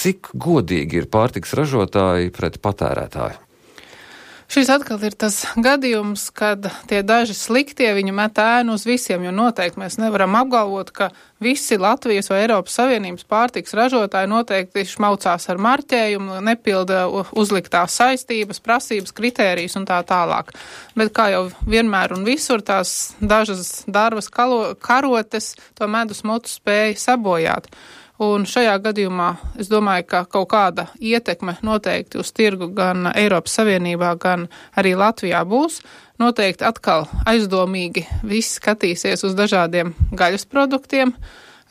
cik godīgi ir pārtikas ražotāji pret patērētāju? Šis atkal ir tas gadījums, kad tie daži sliktie viņi met ēnu uz visiem, jo noteikti mēs nevaram apgalvot, ka visi Latvijas vai Eiropas Savienības pārtikas ražotāji noteikti šmaucās ar marķējumu, nepilda uzliktās saistības, prasības, kritērijas un tā tālāk. Bet kā jau vienmēr un visur tās dažas darbas karotes to medus mutu spēja sabojāt. Un šajā gadījumā es domāju, ka kaut kāda ietekme noteikti uz tirgu gan Eiropas Savienībā, gan arī Latvijā būs. Noteikti atkal aizdomīgi viss skatīsies uz dažādiem gaļas produktiem.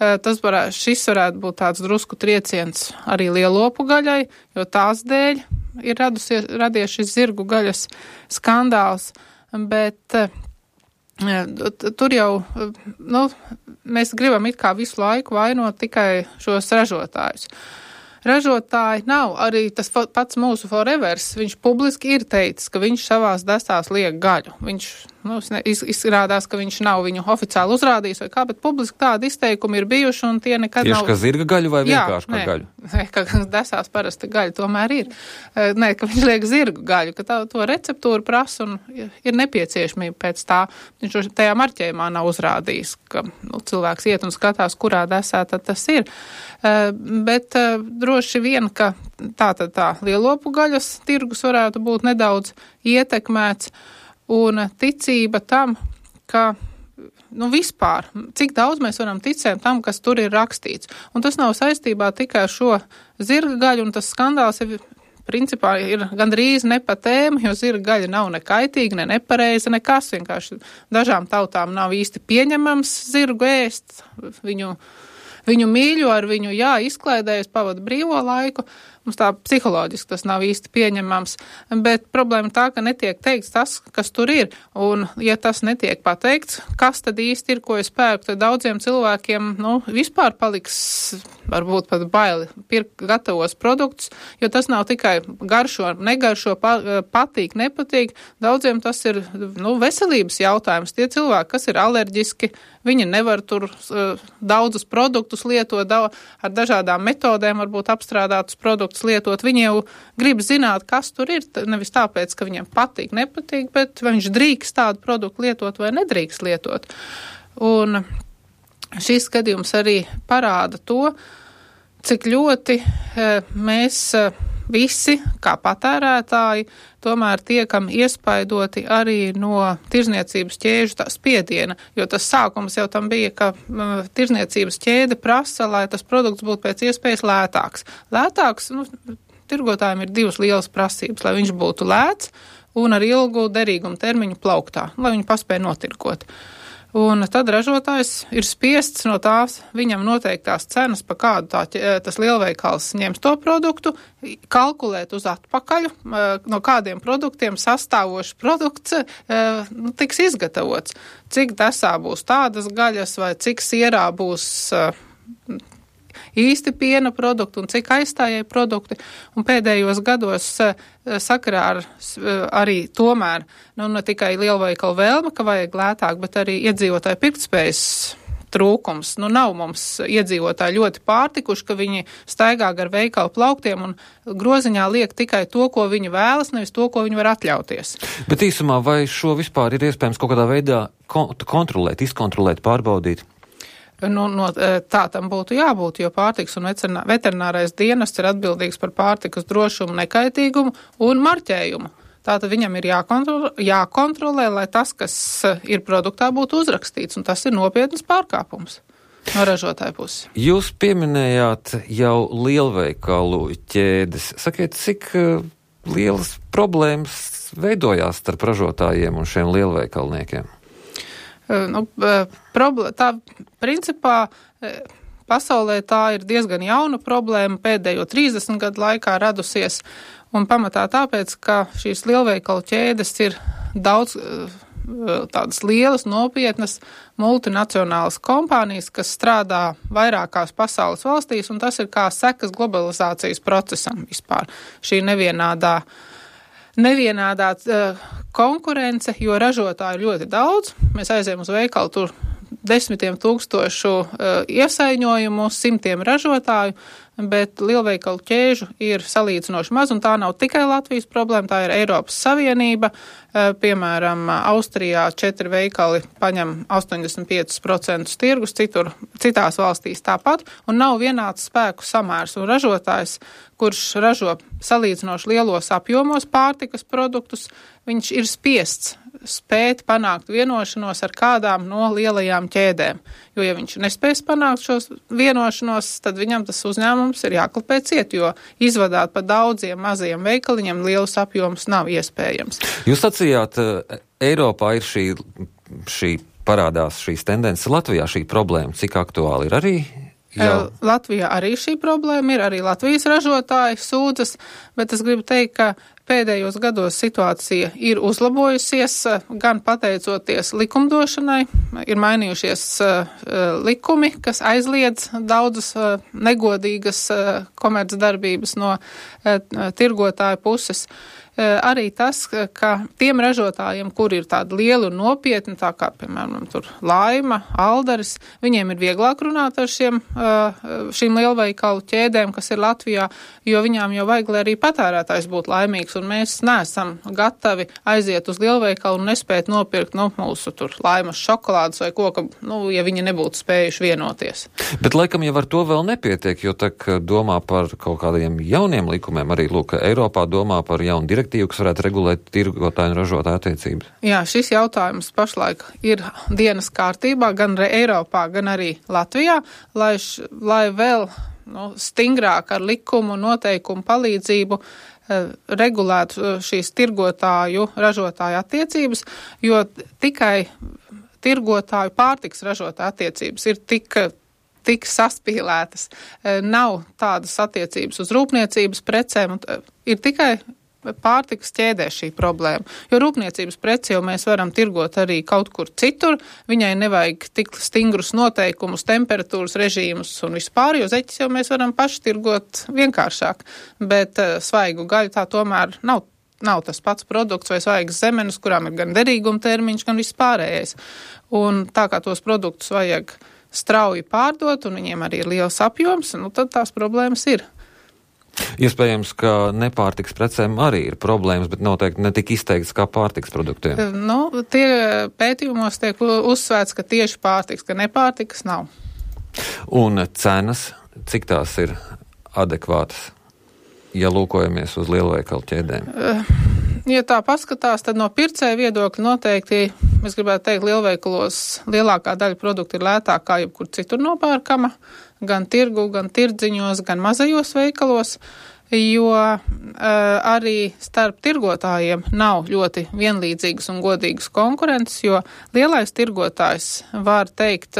Šis varētu būt tāds drusku trieciens arī lielopu gaļai, jo tās dēļ ir radies šis zirgu gaļas skandāls, bet tur jau, mēs gribam it kā visu laiku vainot tikai šos ražotājus. Ražotāji nav arī tas pats mūsu Forevers, viņš publiski ir teicis, ka viņš savās destās liek gaļu. Viņš, izrādās, ka viņš nav viņu oficiāli uzrādījis vai kā, bet publiski tādi izteikumi ir bijuši un tie nekad tieši nav. Tieši kā zirga gaļu vai vienkārši kā gaļu? Nē, ka desās parasti gaļa tomēr ir. Nē, ka viņš liek zirgu gaļu, ka to receptūru prasa un ir nepieciešamība pēc tā. Viņš tajā marķējumā nav uzrādījis, ka cilvēks iet un skatās, kurā desā tad tas ir. Bet droši vien, ka tā lielopu gaļas tirgus varētu būt nedaudz ietekmēts un ticība tam, ka vispār, cik daudz mēs varam ticēt tam, kas tur ir rakstīts. Un tas nav saistībā tikai ar šo zirga gaļu, un tas skandāls principā ir gandrīz ne pa tēmu, jo zirga gaļa nav ne kaitīga, ne nepareiza, nekas. Vienkārši dažām tautām nav īsti pieņemams zirgu ēst, viņu mīļo, ar viņu izklaidējas, pavada brīvo laiku. Mums tā psiholoģiski tas nav īsti pieņemams, bet problēma tā, ka netiek teikts tas, kas tur ir. Un, ja tas netiek pateikts, kas tad īsti ir, ko es pērku, tad daudziem cilvēkiem, vispār paliks varbūt pat baili pirkt gatavos produktus, jo tas nav tikai garšo, negaršo, patīk, nepatīk. Daudziem tas ir, veselības jautājums. Tie cilvēki, kas ir alerģiski, viņi nevar tur daudzus produktus lietot, ar dažādām metodēm varbūt apstrādātus produktus lietot. Viņi jau grib zināt, kas tur ir, nevis tāpēc, ka viņiem patīk, nepatīk, bet vai viņš drīkst tādu produktu lietot vai nedrīkst lietot. Un šis gadījums arī parāda to, cik ļoti mēs visi, kā patērētāji, tomēr tiekam iespaidoti arī no tirzniecības ķēžu spiediena, jo tas sākums jau tam bija, ka tirzniecības ķēde prasa, lai tas produkts būtu pēc iespējas lētāks. Lētāks, tirgotājiem ir divas lielas prasības, lai viņš būtu lēts un ar ilgu derīgumu termiņu plauktā, lai viņu paspēja notirgot. Un tad ražotājs ir spiests no tās viņam noteiktās cenas, pa kādu tas lielveikals ņems to produktu, kalkulēt uz atpakaļ, no kādiem produktiem sastāvošs produkts tiks izgatavots. Cik desā būs tādas gaļas vai cik sierā būs īsti piena produkti un cik aizstājēji produkti. Un pēdējos gados sakarā ar arī tomēr, ne tikai lielveikalu vēlme, ka vajag lētāk, bet arī iedzīvotāju pirktspējas trūkums. Nav mums iedzīvotāji ļoti pārtikuši, ka viņi staigā gar veikalu plauktiem un groziņā liek tikai to, ko viņi vēlas, nevis to, ko viņi var atļauties. Bet īsumā, vai šo vispār ir iespējams kaut kādā veidā kontrolēt, izkontrolēt, pārbaudīt? Tā tam būtu jābūt, jo pārtikas un veterinārais dienests ir atbildīgs par pārtikas drošumu, nekaitīgumu un marķējumu. Tātad viņam ir jākontrolē, lai tas, kas ir produktā, būtu uzrakstīts, un tas ir nopietnas pārkāpums no ražotāja puses. Jūs pieminējāt jau lielveikalu ķēdes. Sakiet, cik lielas problēmas veidojās starp ražotājiem un šiem lielveikalniekiem? Principā pasaulē tā ir diezgan jauna problēma, pēdējo 30 gadu laikā radusies, un pamatā tāpēc, ka šīs lielveikalu ķēdes ir daudz tādas lielas, nopietnas multinacionālas kompānijas, kas strādā vairākās pasaules valstīs, un tas ir kā sekas globalizācijas procesam vispār. Šī nevienādā konkurence, jo ražotāju ļoti daudz. Mēs aizējam uz veikalu, tur 10 000 iesaiņojumu, 100 ražotāju, bet lielveikalu ķēžu ir salīdzinoši maz, un tā nav tikai Latvijas problēma, tā ir Eiropas Savienība. Piemēram, Austrijā 4 veikali paņem 85% tirgus, citās valstīs tāpat, un nav vienāds spēku samērs, un ražotājs, kurš ražo salīdzinoši lielos apjomos pārtikas produktus, viņš ir spiests spēt panākt vienošanos ar kādām no lielajām ķēdēm. Jo, ja viņš nespēs panākt šos vienošanos, tad viņam tas uzņēmums ir jāklapē ciet, jo izvadāt pa daudziem mazajiem veikaliņiem lielus apjomus nav iespējams. Jūs sacījāt, Eiropā ir šī parādās šīs tendences, Latvijā šī problēma, cik aktuāli ir arī? Latvijā arī šī problēma ir, arī Latvijas ražotāji sūdzas, bet es gribu teikt, ka pēdējos gados situācija ir uzlabojusies, gan pateicoties likumdošanai, ir mainījušies likumi, kas aizliedz daudzas negodīgas komercdarbības no tirgotāju puses. Arī tas, ka tiem ražotājiem, kur ir tādi lieli un nopietni, tā kā, piemēram, tur Laima, Aldaris, viņiem ir vieglāk runāt ar šīm lielveikalu ķēdēm, kas ir Latvijā, jo viņām jau vajag, lai arī patērētājs būtu laimīgs, un mēs neesam gatavi aiziet uz lielveikalu un nespēt nopirkt, mūsu tur Laimas šokolādes vai ko, ja viņi nebūtu spējuši vienoties. Bet laikam jau ar to vēl nepietiek, jo tak domā par kaut kādiem jauniem likumiem, arī, Eiropā domā par jaunu direktīvu, kas varētu regulēt tirgotāju un ražotāju attiecības. Jā, šis jautājums pašlaik ir dienas kārtībā gan Eiropā, gan arī Latvijā, lai vēl stingrāk ar likumu noteikumu palīdzību regulētu šīs tirgotāju ražotāju attiecības, jo tikai tirgotāju pārtiks ražotāju attiecības ir tik saspīlētas. Nav tādas attiecības uz rūpniecības precēm, ir tikai pārtikas ķēdē šī problēma, jo rūpniecības preci jau mēs varam tirgot arī kaut kur citur, viņai nevajag tik stingrus noteikumus, temperatūras režīmus un vispār, jo zeķis jau mēs varam paši tirgot vienkāršāk, bet svaigu gaļu tā tomēr nav tas pats produkts vai svaigas zemenes, kurām ir gan derīguma termiņš, gan vispārējais. Un tā kā tos produktus vajag strauji pārdot un viņiem arī ir liels apjoms, tad tās problēmas ir. Iespējams, ka nepārtiks precēm arī ir problēmas, bet noteikti ne tik izteikts kā pārtiks produktiem. Tie pētījumos tiek uzsvērts, ka tieši pārtiks, ka nepārtikas nav. Un cenas, cik tās ir adekvātas, ja lūkojamies uz lielveikalu ķēdēm? Ja tā paskatās, tad no pircēja viedokļa noteikti, es gribētu teikt, lielveikalos lielākā daļa produktu ir lētāk kā jebkur citur nopērkama, gan tirgu, gan tirdziņos, gan mazajos veikalos, jo arī starp tirgotājiem nav ļoti vienlīdzīgas un godīgas konkurences, jo lielais tirgotājs var teikt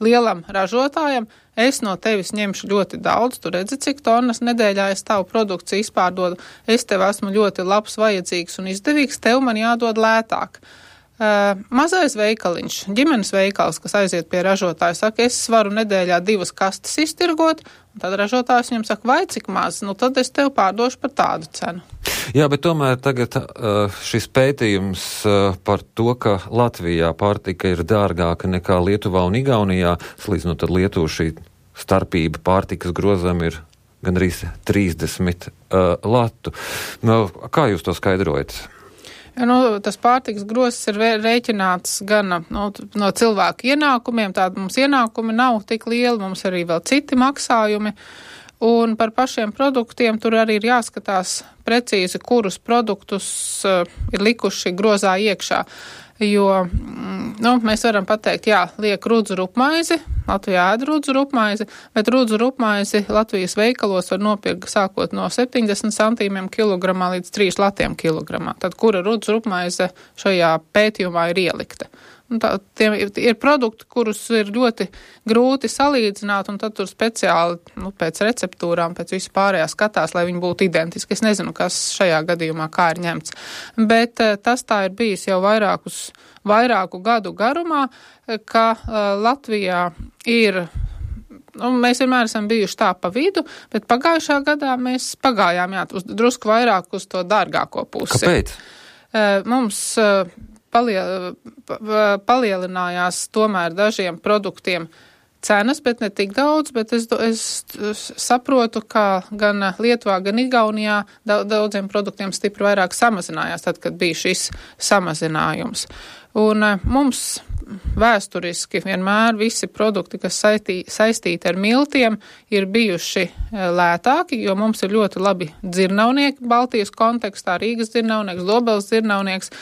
lielam ražotājam, es no tevis ņemšu ļoti daudz, tu redzi, cik tonnas nedēļā es tavu produkciju izpārdodu, es tev esmu ļoti labs, vajadzīgs un izdevīgs, tev man jādod lētāk. Mazais veikaliņš, ģimenes veikals, kas aiziet pie ražotāja, saka, es varu nedēļā 2 kastes iztirgot, un tad ražotājs viņam saka, vai cik maz, tad es tev pārdošu par tādu cenu. Jā, bet tomēr tagad šis pētījums par to, ka Latvijā pārtika ir dārgāka nekā Lietuvā un Igaunijā, salīdzinot tad Lietuvu šī starpība pārtikas grozam ir gandrīz 30 latu. Kā jūs to skaidrojat? Tas pārtikas grozs ir rēķināts gan no cilvēku ienākumiem, tāda mums ienākumi nav tik lieli, mums arī vēl citi maksājumi, un par pašiem produktiem tur arī ir jāskatās precīzi, kurus produktus ir likuši grozā iekšā, jo mēs varam pateikt, liek rudzu rupmaizi, Latvijā ēd rudzu rupmaizi, bet rudzu rupmaizi Latvijas veikalos var nopirkt sākot no 70 centīmiem kilogramā līdz 3 latiem kilogramā. Tad kura rudzu rupmaize šajā pētījumā ir ielikta? Tie ir produkti, kurus ir ļoti grūti salīdzināt, un tad tur speciāli pēc receptūrām, pēc vispārējā skatās, lai viņi būtu identiski. Es nezinu, kas šajā gadījumā kā ir ņemts. Bet tas tā ir bijis jau vairāku gadu garumā, ka Latvijā ir, mēs vienmēr esam bijuši tā pa vidu, bet pagājušā gadā mēs pagājām drusku vairāk uz to dārgāko pusi. Kāpēc? Mums palielinājās tomēr dažiem produktiem cenas, bet ne tik daudz, bet es saprotu, ka gan Lietuvā, gan Igaunijā daudziem produktiem stipri vairāk samazinājās, tad, kad bija šis samazinājums. Un mums vēsturiski vienmēr visi produkti, kas saistīti ar miltiem, ir bijuši lētāki, jo mums ir ļoti labi dzirnavnieki Baltijas kontekstā, Rīgas dzirnavnieks, Dobeles dzirnavnieks,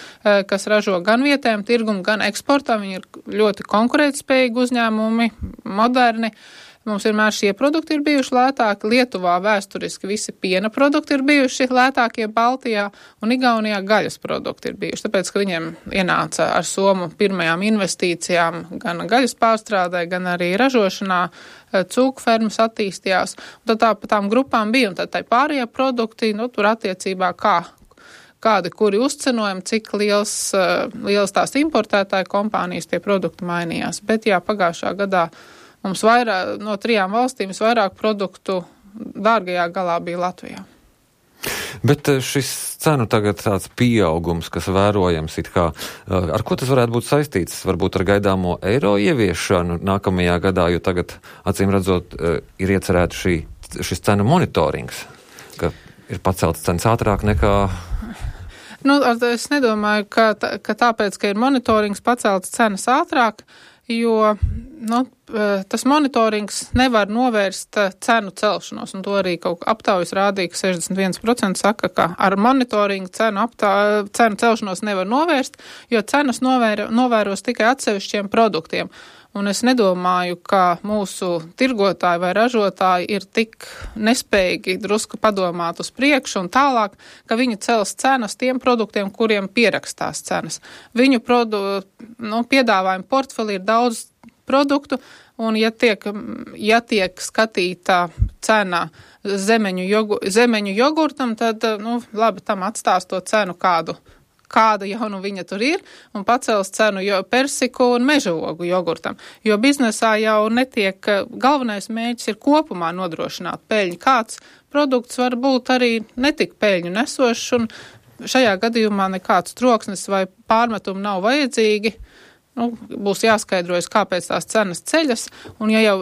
kas ražo gan vietējiem tirgumu, gan eksportam. Viņi ir ļoti konkurētspējīgi uzņēmumi, moderni. Mums vienmēr šie produkti ir bijuši lētāki. Lietuvā vēsturiski visi piena produkti ir bijuši lētākie Baltijā, un Igaunijā gaļas produkti ir bijuši. Tāpēc, ka viņiem ienāca ar Somu pirmajām investīcijām gan gaļas pārstrādē, gan arī ražošanā, cūku fermas attīstījās. Un tad tā pa tām grupām bija, un tad tā pārējie produkti, tur attiecībā kādi, kuri uzcenojumi, cik liels tās importētāju kompānijas tie produkti mainījās. Bet jā, pagājušā gadā mums no 3 valstīm vairāk produktu dārgajā galā bija Latvijā. Bet šis cenu tagad tāds pieaugums, kas vērojams ar ko tas varētu būt saistīts? Varbūt ar gaidāmo eiro ieviešanu nākamajā gadā, jo tagad, acīm redzot, ir iecerēta šis cenu monitorings, ka ir paceltas cenas ātrāk nekā... Es nedomāju, ka tāpēc, ka ir monitorings paceltas cenas ātrāk, jo tas monitorings nevar novērst cenu celšanos, un to arī kaut aptaujas rādīja, ka 61% saka, ka ar monitoringu cenu celšanos nevar novērst, jo cenas novēros tikai atsevišķiem produktiem. Un es nedomāju, ka mūsu tirgotāji vai ražotāji ir tik nespējīgi drusku padomāt uz priekšu un tālāk, ka viņi cels cenas tiem produktiem, kuriem pierakstās cenas. Viņu piedāvājumu portfeli ir daudz produktu, un ja tiek skatīta cena zemeņu jogurtam, tad, labi, tam atstās to cenu kāda jau viņa tur ir, un pacels cenu persiku un mežaogu jogurtam. Jo biznesā jau galvenais mērķis ir kopumā nodrošināt peļņu. Kāds produkts var būt arī netik peļņu nesošs, un šajā gadījumā nekāds troksnis vai pārmetumi nav vajadzīgi. Būs jāskaidrojas, kāpēc tās cenas ceļas,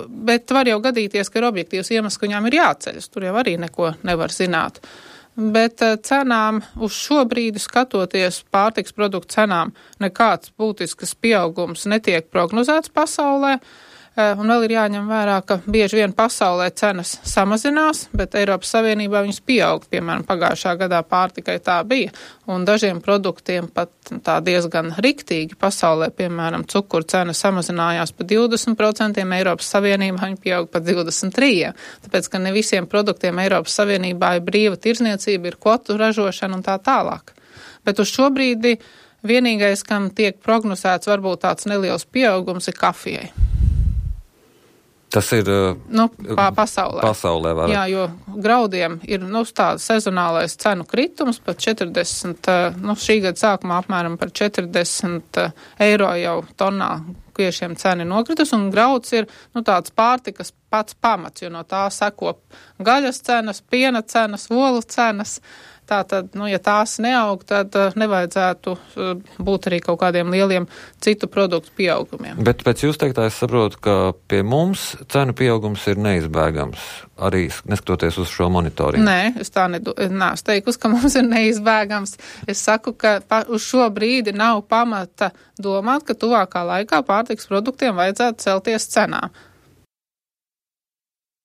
bet var jau gadīties, ka ir objektīvs iemesls, ka viņām ir jāceļas. Tur jau arī neko nevar zināt. Bet cenām uz šo brīdi skatoties pārtiks produktu cenām nekāds būtisks pieaugums netiek prognozēts pasaulē. Un vēl ir jāņem vērā, ka bieži vien pasaulē cenas samazinās, bet Eiropas Savienībā viņas pieaug. Piemēram, pagājušā gadā pārtikai tā bija. Un dažiem produktiem pat tā diezgan riktīgi pasaulē, piemēram, cukuru cena samazinājās pa 20%, Eiropas Savienībā viņa pieaug pa 23%. Tāpēc, ka ne visiem produktiem Eiropas Savienībā ir brīva tirdzniecība, ir kvotu ražošana un tā tālāk. Bet uz šo brīdi vienīgais, kam tiek prognozēts varbūt tāds neliels pieaugums, ir kafijai. Tas ir pasaulē. Jā, jo graudiem ir tāds sezonālais cenu kritums pat 40, šī gada sākumā apmēram par 40 eiro jau tonnā kviešiem cena ir nokritus, un grauds ir tāds pārtikas pats pamats, jo no tā seko gaļas cenas, piena cenas, olu cenas. Tātad, ja tās neaug, tad nevajadzētu būt arī kaut kādiem lieliem citu produktu pieaugumiem. Bet pēc jūs teiktā es saprotu, ka pie mums cenu pieaugums ir neizbēgams, arī neskatoties uz šo monitoringu. Nē, es tā neesmu teikusi, ka mums ir neizbēgams. Es saku, ka uz šo brīdi nav pamata domāt, ka tuvākā laikā pārtiks produktiem vajadzētu celties cenā.